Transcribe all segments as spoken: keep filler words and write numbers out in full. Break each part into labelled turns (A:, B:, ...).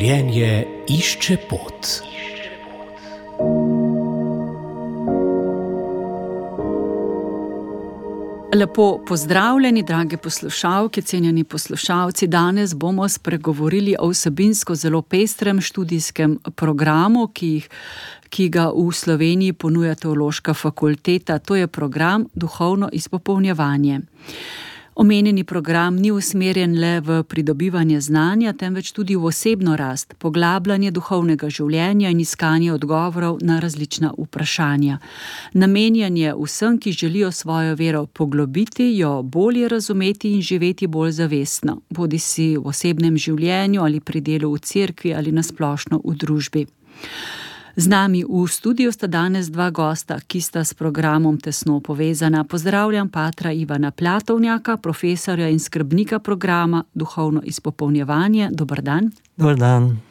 A: Življenje išče pot.
B: Lepo pozdravljeni, drage poslušalke, cenjeni poslušalci. Danes bomo spregovorili o vsebinsko zelo pestrem študijskem programu, ki, jih, ki ga v Sloveniji ponuja Teološka fakulteta. To je program Duhovno izpopolnjevanje. Omenjeni program ni usmerjen le v pridobivanje znanja, temveč tudi v osebno rast, poglabljanje duhovnega življenja in iskanje odgovorov na različna vprašanja. Namenjen je vsem, ki želijo svojo vero poglobiti, jo bolje razumeti in živeti bolj zavestno, bodisi v osebnem življenju ali pri delu v cerkvi ali nasplošno v družbi. Z nami v studiu sta danes dva gosta, ki sta s programom tesno povezana. Pozdravljam patra Ivana Platovnjaka, profesorja in skrbnika programa Duhovno izpopolnjevanje. Dober dan.
C: Dober dan.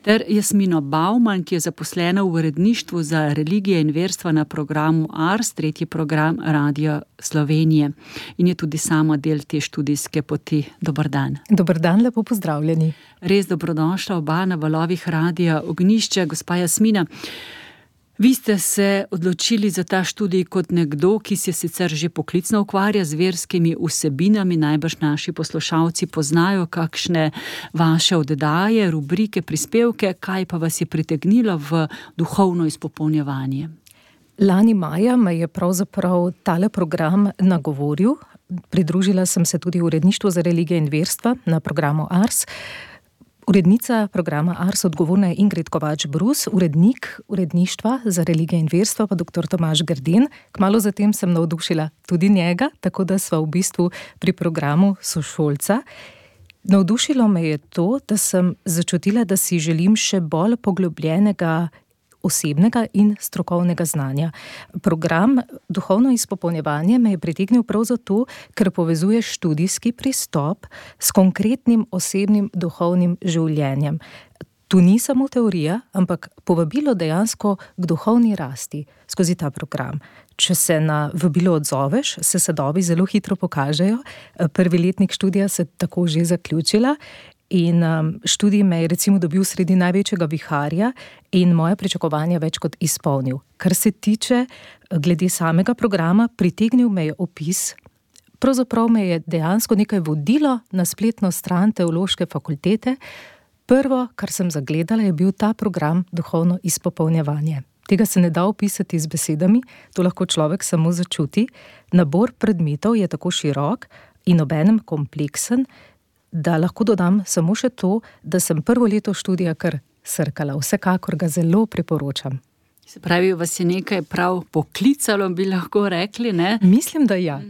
B: Ter Jasmino Bauman, ki je zaposlena v uredništvu za religije in verstva na programu Ars, tretji program Radia Slovenije. In je tudi sama del te študijske poti. Dober dan.
D: Dober dan, lepo pozdravljeni.
B: Res dobrodošla oba na valovih Radia Ognjišče. Gospa Jasmina, vi ste se odločili za ta študij kot nekdo, ki se sicer že poklicno ukvarja z verskimi vsebinami. Najbrž naši poslušalci poznajo kakšne vaše oddaje, rubrike, prispevke. Kaj pa vas je pritegnilo v duhovno izpopolnjevanje?
D: Lani maja me je pravzaprav tale program nagovoril. Pridružila sem se tudi v uredništvu za religije in verstva na programu Ars. Urednica programa Ars odgovorna je Ingrid Kovač-Brus, urednik uredništva za religije in verstva pa doktor Tomaž Grden. Kmalu zatem sem navdušila tudi njega, tako da sva v bistvu pri programu sošolca. Navdušilo me je to, da sem začutila, da si želim še bolj poglobljenega osebnega in strokovnega znanja. Program Duhovno izpopolnjevanje me je pritegnil prav zato, ker povezuje študijski pristop s konkretnim osebnim duhovnim življenjem. Tu ni samo teorija, ampak povabilo dejansko k duhovni rasti skozi ta program. Če se na vabilo odzoveš, se sadovi zelo hitro pokažejo. Prvi letnik študija se tako že zaključila. In um, študij me je recimo dobil sredi največjega viharja in moje pričakovanja več kot izpolnil. Kar se tiče glede samega programa, pritegnil me je opis. Pravzaprav me je dejansko nekaj vodilo na spletno stran Teološke fakultete. Prvo, kar sem zagledala, je bil ta program Duhovno izpopolnjevanje. Tega se ne da opisati z besedami, to lahko človek samo začuti. Nabor predmetov je tako širok in obenem kompleksen, da lahko dodam samo še to, da sem prvo leto študija kar srkala. Vsekakor ga zelo priporočam.
B: Se pravi, vas je nekaj prav poklicalo, bi lahko rekli, ne?
D: Mislim, da ja.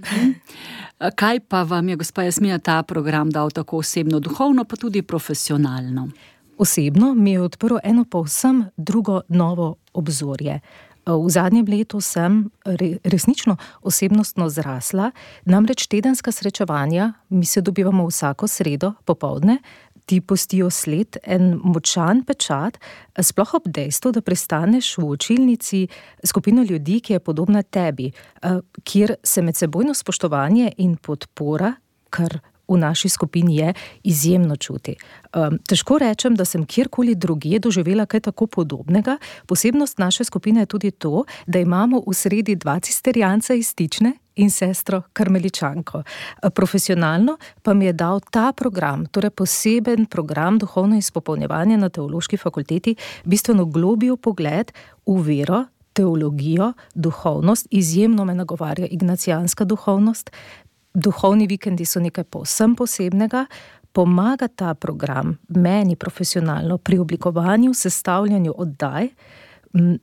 B: Kaj pa vam je, gospa Jasmina, ta program dal tako osebno, duhovno, pa tudi profesionalno?
D: Osebno mi je odprl eno povsem drugo novo obzorje. V zadnjem letu sem resnično osebnostno zrasla, namreč tedenska srečevanja, mi se dobivamo vsako sredo popoldne, ti pustijo sled, en močan pečat, sploh ob dejstvu, da pristaneš v učilnici skupino ljudi, ki je podobna tebi, kjer se medsebojno spoštovanje in podpora, kar v naši skupini je, izjemno čuti. Um, težko rečem, da sem kjerkoli drugje doživela kaj tako podobnega. Posebnost naše skupine je tudi to, da imamo v sredi dva cisterjanca iz Stične in sestro karmeličanko. Profesionalno pa mi je dal ta program, torej poseben program Duhovno izpopolnjevanje na Teološki fakulteti, bistveno globlji pogled v vero, teologijo, duhovnost. Izjemno me nagovarja ignacijanska duhovnost. Duhovni vikendi so nekaj povsem posebnega. Pomaga ta program meni profesionalno pri oblikovanju, sestavljanju oddaj.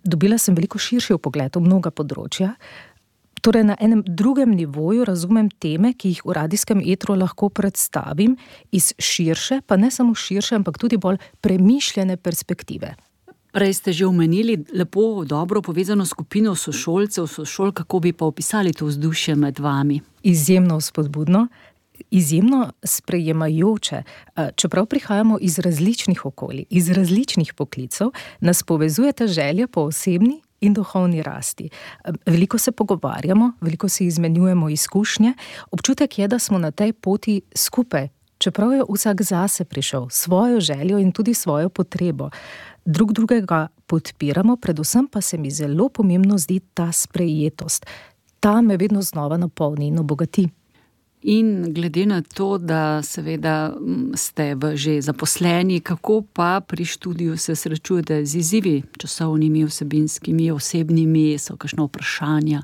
D: Dobila sem veliko širši vpogled v mnoga področja. Torej na enem drugem nivoju razumem teme, ki jih v radijskem etru lahko predstavim iz širše, pa ne samo širše, ampak tudi bolj premišljene perspektive.
B: Prej ste že omenili lepo, dobro povezano skupino sošolcev, sošol, kako bi pa opisali to vzdušje med vami?
D: Izjemno spodbudno, izjemno sprejemajoče. Čeprav prihajamo iz različnih okolij, iz različnih poklicev, nas povezuje ta želja po osebni in duhovni rasti. Veliko se pogovarjamo, veliko si izmenjujemo izkušnje. Občutek je, da smo na tej poti skupaj, čeprav je vsak zase prišel, svojo željo in tudi svojo potrebo, drug drugega podpiramo, predvsem pa se mi zelo pomembno zdi ta sprejetost. Ta me vedno znova napolni in obogati.
B: In glede na to, da seveda ste v že zaposleni, kako pa pri študiju se srečujete z izzivi, časovnimi, vsebinskimi, osebnimi, so kakšna vprašanja?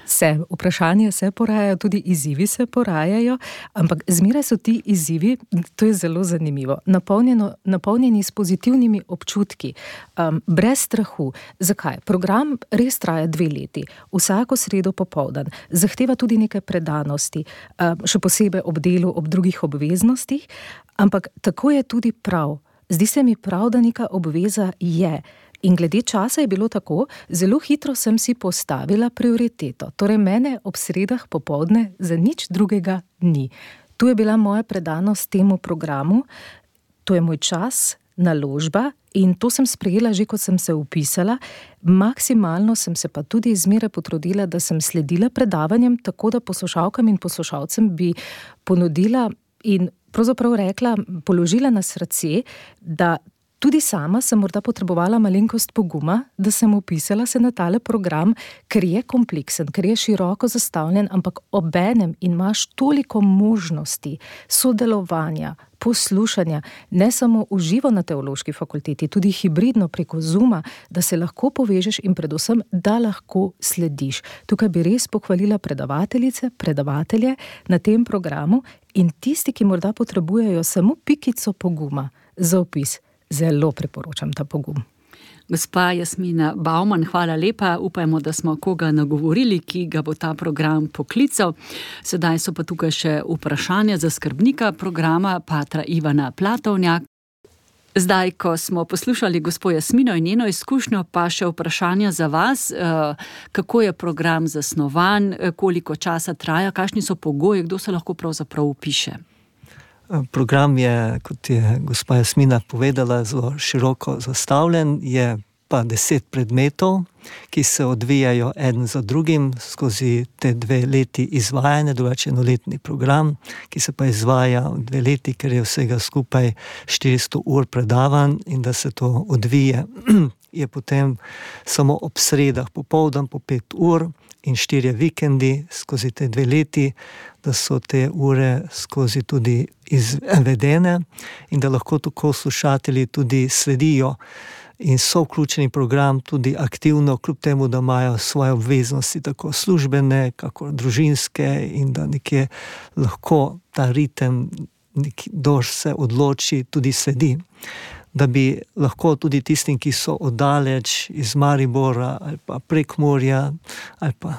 D: Se, vprašanja se porajajo, tudi izzivi se porajajo, ampak zmeraj so ti izzivi, to je zelo zanimivo, napolnjeno, napolnjeni s pozitivnimi občutki, um, brez strahu. Zakaj? Program res traja dve leti, vsako sredo popoldan, zahteva tudi nekaj predanosti, um, še posebej ob delu, ob drugih obveznostih, ampak tako je tudi prav. Zdi se mi prav, da neka obveza je. In glede časa je bilo tako, zelo hitro sem si postavila prioriteto. Torej mene ob sredah popoldne za nič drugega ni. Tu je bila moja predanost temu programu, to je moj čas, naložba in to sem sprejela že, ko sem se vpisala. Maksimalno sem se pa tudi zmeraj potrudila, da sem sledila predavanjem, tako da poslušalkam in poslušalcem bi ponudila in pravzaprav rekla, položila na srce, da tudi sama sem morda potrebovala malenkost poguma, da sem vpisala se na tale program, ker je kompleksen, ker je široko zastavljen, ampak obenem imaš toliko možnosti sodelovanja, poslušanja, ne samo v živo na teološki fakulteti, tudi hibridno preko Zooma, da se lahko povežeš in predvsem, da lahko slediš. Tukaj bi res pohvalila predavateljice, predavatelje na tem programu in tisti, ki morda potrebujejo samo pikico poguma za vpis. Zelo priporočam ta pogum.
B: Gospa Jasmina Bauman, hvala lepa. Upajmo, da smo koga nagovorili, ki ga bo ta program poklical. Sedaj so pa tukaj še vprašanja za skrbnika programa, patra Ivana Platovnjak. Zdaj, ko smo poslušali gospo Jasmino in njeno izkušnjo, pa še vprašanja za vas. Kako je program zasnovan, koliko časa traja, kakšni so pogoji, kdo se lahko pravzaprav vpiše?
C: Program je, kot je gospa Jasmina povedala, zelo široko zastavljen, je pa deset predmetov, ki se odvijajo eden za drugim skozi te dve leti izvajanja, drugače enoletni program, ki se pa izvaja v dve leti, ker je vsega skupaj štiristo ur predavanj in da se to odvije, je potem samo ob sredah popoldan po pet ur in štirje vikendi skozi te dve leti, da so te ure skozi tudi izvedene in da lahko tako slušatelji tudi sledijo in so vključeni program tudi aktivno, kljub temu, da imajo svoje obveznosti, tako službene, kako družinske in da nekje lahko ta ritem, kdor se odloči, tudi sledi. Da bi lahko tudi tistim, ki so oddaleč iz Maribora ali pa Prekmurja ali pa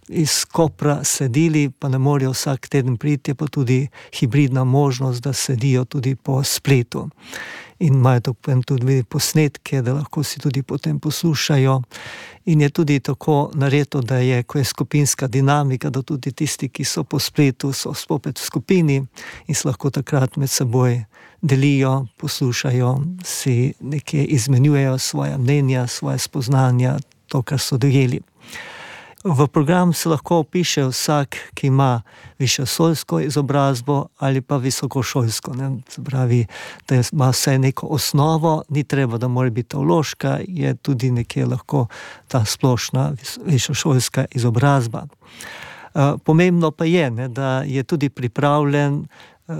C: iz Kopra sledili, pa ne morejo vsak teden priti, je pa tudi hibridna možnost, da sledijo tudi po spletu. In imajo tudi posnetke, da lahko si tudi potem poslušajo. In je tudi tako naredo, da je, ko je skupinska dinamika, da tudi tisti, ki so po spletu, so spopet v skupini in se lahko takrat med seboj delijo, poslušajo, si nekje izmenjujejo svoja mnenja, svoje spoznanja, to, kar so dojeli. V program se lahko vpiše vsak, ki ima višješolsko izobrazbo ali pa visokošolsko. Ne? Se pravi, da ima vse neko osnovo, ni treba, da mora biti teološka, je tudi nekje lahko ta splošna višješolska izobrazba. Pomembno pa je, ne, da je tudi pripravljen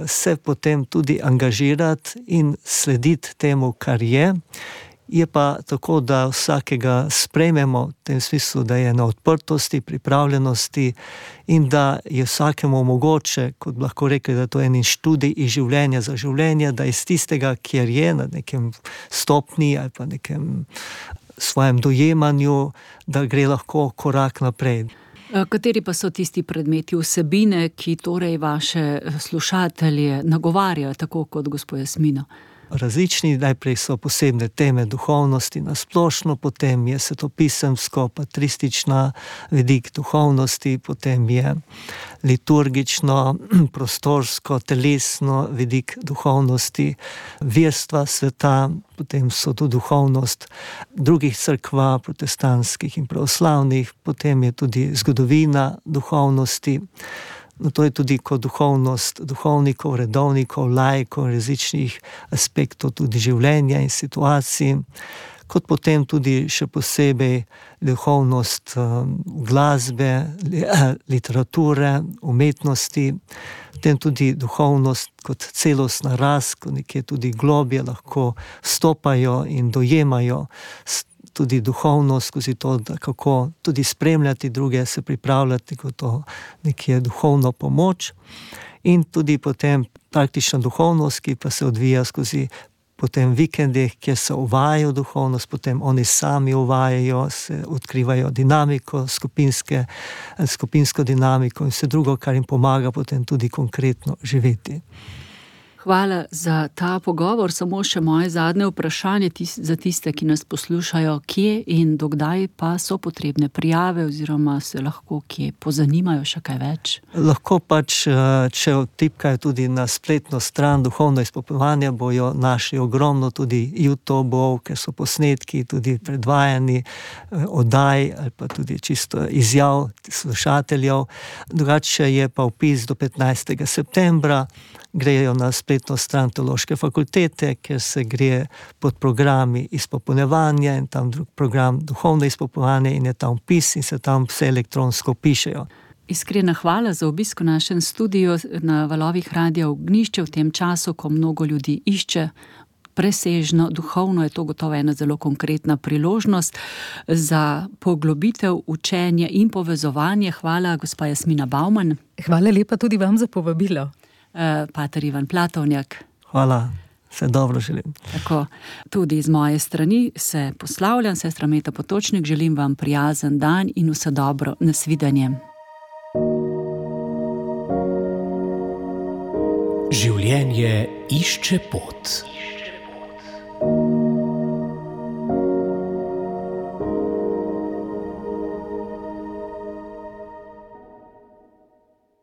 C: se potem tudi angažirati in slediti temu, kar je. Je pa tako, da vsakega sprejmemo v tem smislu, da je na odprtosti, pripravljenosti in da je vsakemu mogoče, kot lahko rekli, da to je en študij iz življenja za življenje, da iz tistega, kjer je na nekem stopni ali pa nekem svojem dojemanju, da gre lahko korak naprej.
B: Kateri pa so tisti predmeti, vsebine, ki torej vaše slušatelje nagovarjajo, tako kot gospo Jasmino?
C: Različni, najprej so posebne teme duhovnosti na splošno, potem je svetopisemsko, patristična vidik duhovnosti, potem je liturgično, prostorsko, telesno vidik duhovnosti, verstva sveta, potem so tu duhovnost drugih cerkva, protestantskih in pravoslavnih, potem je tudi zgodovina duhovnosti, No, to je tudi kot duhovnost duhovnikov, redovnikov, laikov, različnih aspektov tudi življenja in situacij, kot potem tudi še posebej duhovnost glasbe, literature, umetnosti, potem tudi duhovnost kot celostna rast, ko nekje tudi globje lahko stopajo in dojemajo tudi duhovnost skozi to, da kako tudi spremljati druge, se pripravljati kot to nekje duhovno pomoč, in tudi potem praktična duhovnost, ki pa se odvija skozi potem vikendih, kjer se uvajajo duhovnost, potem oni sami uvajajo, se odkrivajo dinamiko, skupinske, skupinsko dinamiko in vse drugo, kar jim pomaga potem tudi konkretno živeti.
B: Hvala za ta pogovor. Samo še moje zadnje vprašanje tis, za tiste, ki nas poslušajo, kje in dokdaj pa so potrebne prijave oziroma se lahko kje pozanimajo še kaj več?
C: Lahko pač, če vtipkajo tudi na spletno stran duhovno izpopolnjevanje, bojo našli ogromno tudi YouTubeov, ker so posnetki tudi predvajani, oddaj ali pa tudi čisto izjav slušateljev. Drugače je pa vpis do petnajstega septembra, grejo na spletno stran Teološke fakultete, kjer se gre pod programi izpopolnjevanja in tam drug program duhovno izpopolnjevanje in je tam vpis in se tam vse elektronsko pišejo.
B: Iskrena hvala za obisk v našem studiu na valovih Radia Ognjišče v tem času, ko mnogo ljudi išče presežno duhovno, je to gotovo ena zelo konkretna priložnost za poglobitev, učenje in povezovanje. Hvala, gospa Jasmina Bauman.
D: Hvala lepa tudi vam za povabilo.
B: Pater Ivan Platovnjak.
C: Hvala, vse dobro želim.
B: Tako, tudi iz moje strani se poslavljam, sestra Meta Potočnik, želim vam prijazen dan in vse dobro, nasvidenje.
A: Življenje išče pot.